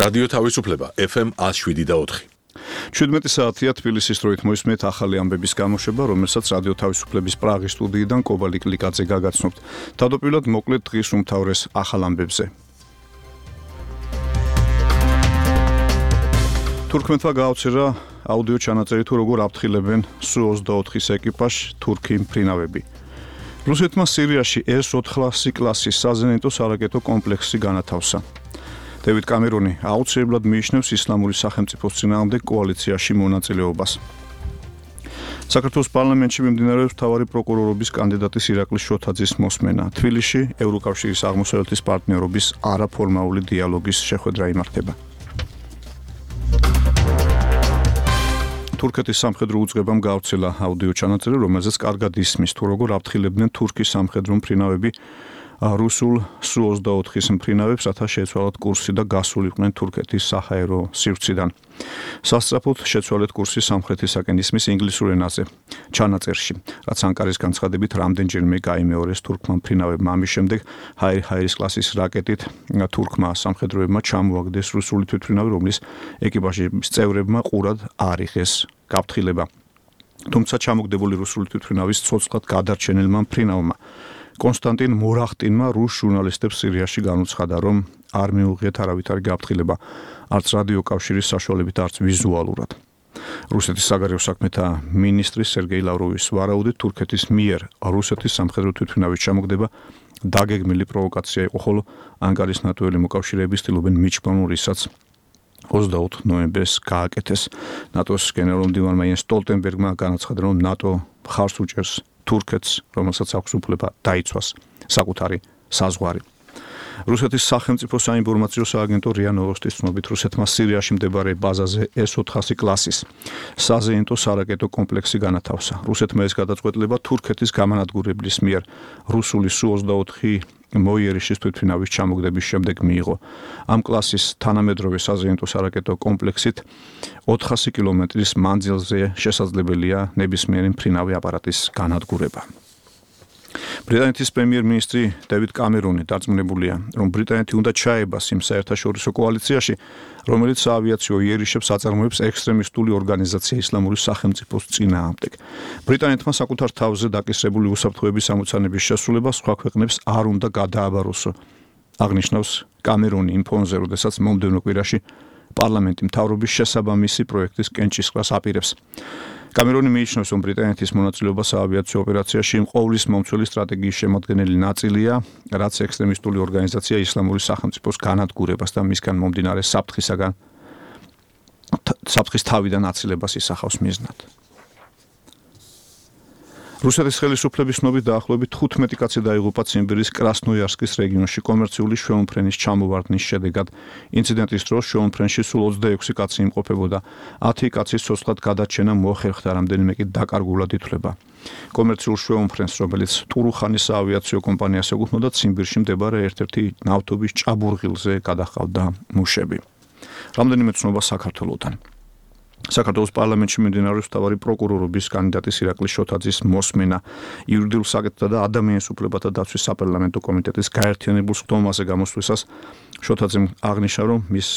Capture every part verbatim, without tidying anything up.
რადიო თავისუფლება ეფ ემ one oh seven და four. შვიდმეტი საათია თბილისის დროით მოისმენთ ახალი ამბების გამოშვება, რომელსაც რადიო თავისუფლების პრაღის სტუდიიდან კობალი კლიკაძე გაგაცნობთ. თავდაპირველად მოკლედ დღის უმთავრეს ახალ ამბებზე. თურქმენმა გააუცერა აუდიო ჩანაწერი თუ როგორ აფრთხილებენ სუ ოცდაოთხის ეკიპაჟს თურქი მფრინავები. რუსეთმა სირიაში ეს ოთხასი კლასის საზენიტო სარაკეტო კომპლექსი განათავსა. დევიდ კამერონი აუცილებლად მიიჩნევს ისლამური სახელმწიფოს წინააღმდეგ კოალიციაში მონაწილეობას. საქართველოს პარლამენტში მიმდინარეობს მთავარი პროკურორობის კანდიდატის ირაკლი შოთაძის მოსმენა. თბილისში ევროკავშირის აღმოსავლეთის პარტნიორობის არაფორმალური დიალოგის შეხვედრა იმართება. თურქეთის სამხედრო უწყებამ გაავრცელა აუდიო ჩანაწერი, რომელზეც კარგად ისმის თუ როგორ აფრთხილებდნენ თურქის სამხედრო მფრინავები რუსულ სუ ოცდაოთხის მფრინავებს, რათა შეეცვალათ კურსი და გასულიყვნენ თურქეთის საჰაერო სივრციდან. სასწრაფოდ შეცვალეთ კურსი სამხრეთისაკენ ისმის ინგლისურ ენაზე ჩანაწერში, რაც ანკარის განცხადებით რამდენჯერმე გაიმეორეს თურქმა მფრინავებმა. ამის შემდეგ ჰაირი ჰაირის კლასის რაკეტით თურქმა სამხედროებმა ჩამოაგდეს რუსული თვითმფრინავი, რომლის ეკიპაჟის წევრებმა ყურად არ იღეს გაფრთხილება. თუმცა ჩამოგდებული რუსული თვითმფრინავის ცოცხლად გადარჩენილმა მფრინავმა კონსტანტინ მორახტინმა რუს ჟურნალისტებს სირიაში განუცხადა, რომ არ მიუღიათ არავითარი გაფრთხილება, არც რადიო კავშირის საშუალებით, არც ვიზუალურად. რუსეთის საგარეო საქმეთა მინისტრის სერგეი ლავროვის ვარაუდით, თურქეთის მიერ რუსეთის სამხედრო თვითმფრინავის ჩამოგდება დაგეგმილი პროვოკაცია იყო, ხოლო ანკარის ნატოელი მოკავშირეები ცდილობენ მიჩნეულ ისაც ოცდაოთხ ნოემბერს გააკეთეს. ნატოს გენერალ-მდივანმა იენს სტოლტენბერგმა განაცხადა, რომ ნატო მხარს უჭერს თურქეთს, რომელსაც აქვს უფლება დაიცვას საკუთარი საზღვარი. რუსეთის სახელმწიფო საინფორმაციო სააგენტო რია ნოვოსტის ცნობით, რუსეთმა სირიაში მდებარე ბაზაზე ეს ოთხასი კლასის საზეიმტო სარაკეტო კომპლექსი განათავსა. რუსეთმა ეს გადაწყვეტილება თურქეთის გამანადგურებლის მიერ რუსული სუ ოცდაოთხი მოიერიშის თვითმფრინავის ჩამოგდების შემდეგ მიიღო. ამ კლასის თანამედროვე საზეიმტო სარაკეტო კომპლექსით ოთხასი კილომეტრის მანძილზე შესაძლებელია ნებისმიერი მფრინავი აპარატის განადგურება. ბრიტანეთის პრემიერ-მინისტრი დევიდ კამერონი დარწმუნებულია, რომ ბრიტანეთი უნდა ჩაებას იმ საერთაშორისო კოალიციაში, რომელიც საავიაციო იერიშებს აწარმოებს ექსტრემისტული ორგანიზაცია ისლამური სახელმწიფოს წინააღმდეგ. ბრიტანეთმა საკუთარ თავზე დაკისრებული უსაფრთხოების ამოცანების შესრულება სხვა ქვეყნებს არ უნდა გადააბაროსო. აღნიშნავს კამერონი იმ ფონზე, როდესაც მომდევნო კვირაში პარლამენტი მთავრობის შესაბამისი პროექტის კენჭისყრას აპირებს. კამერონი მიიჩნევს, რომ ბრიტანეთის მონაწილეობა საავიაციო ოპერაციაში ყოვლის მომცველი სტრატეგიის შემადგენელი ნაწილია, რაც ექსტრემისტული ორგანიზაცია ისლამური სახელმწიფოს განადგურებას და მისგან მომდინარე საფრთხისაგან საფრთხის თავიდან აცილებას ისახავს მიზნად. რუსეთის ხელისუფლების ცნობით დაახლოებით თხუთმეტი კაცი დაიღუპა ციმბირის კრასნოიარსკის რეგიონში კომერციული შვეულმფრენის ჩამოვარდნის შედეგად. ინციდენტის დროს შვეულმფრენში სულ ოცდაექვსი კაცი იმყოფებოდა. ათი კაცის ცოცხლად გადარჩენა მოახერხდა, რამდენიმე კი დაკარგულად ითვლება. კომერციულ შვეულმფრენს, რომელიც ტურუხანის საავიაციო კომპანიას ეკუთვნოდა, ციმბირში მდებარე ერთ-ერთი ნავთობის ჭაბურღილზე გადაჰყავდა მუშები. რამდენიმე ცნობა საქართველოსთან. საქართველოს პარლამენტში მიმდინარეობს მთავარი პროკურორობის კანდიდატის ირაკლი შოთაძის მოსმენა. იურიდიულ საკითხთა და ადამიანის უფლებათა დაცვის საპარლამენტო კომიტეტის გაერთიანებულ სხდომაზე გამოსვლისას შოთაძემ აღნიშნა, რომ მის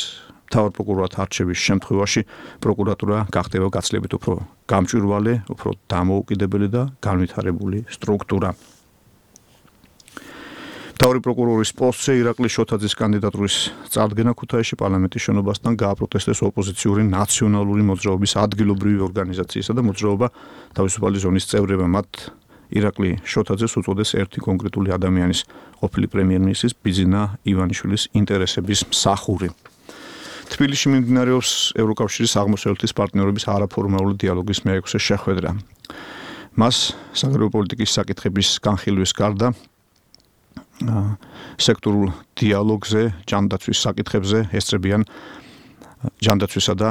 მთავარ პროკურორად არჩევის შემთხვევაში პროკურატურა გახდება გაცილებით უფრო გამჭვირვალე, უფრო დამოუკიდებელი და განვითარებული სტრუქტურა. მთავარი პროკურორის პოსტზე ირაკლი შოთაძის კანდიდატურის წარდგენა ქუთაისში პარლამენტის შენობასთან გააპროტესტეს ოპოზიციური ნაციონალური მოძრაობის ადგილობრივი ორგანიზაციისა და მოძრაობა თავისუფალი ზონის წევრებმა. მათ ირაკლი შოთაძეს უწოდეს ერთი კონკრეტული ადამიანის, ყოფილი პრემიერ-მინისტრის ბიძინა ივანიშვილის ინტერესების მსახური. თბილისში მიმდინარეობს ევროკავშირის აღმოსავლეთის პარტნიორობის არაფორმალური დიალოგის მეექვსე შეხვედრა. მას საგარეო პოლიტიკის საკითხების განხილვის გარდა სექტორულ დიალოგზე, ჯანდაცვის საკითხებზე ესწრებიან ჯანდაცვისა და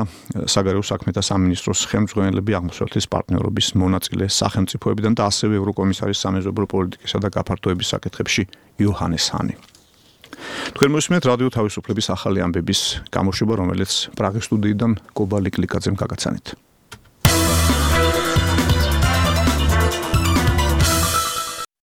საგარეო საქმეთა სამინისტროს ხელმძღვანელები, აღმოსავლეთის პარტნიორობის მონაწილე სახელმწიფოებიდან და ასევე ევროკომისარის სამეზობლო პოლიტიკისა და გაფართოების საკითხებში იოჰანეს ჰანი. თქვენ მოსმენთ რადიო თავისუფლების ახალი ამბების გამოშვება, რომელიც პრაღის სტუდიიდან კობალი კლიკაძემ გაგაცანით.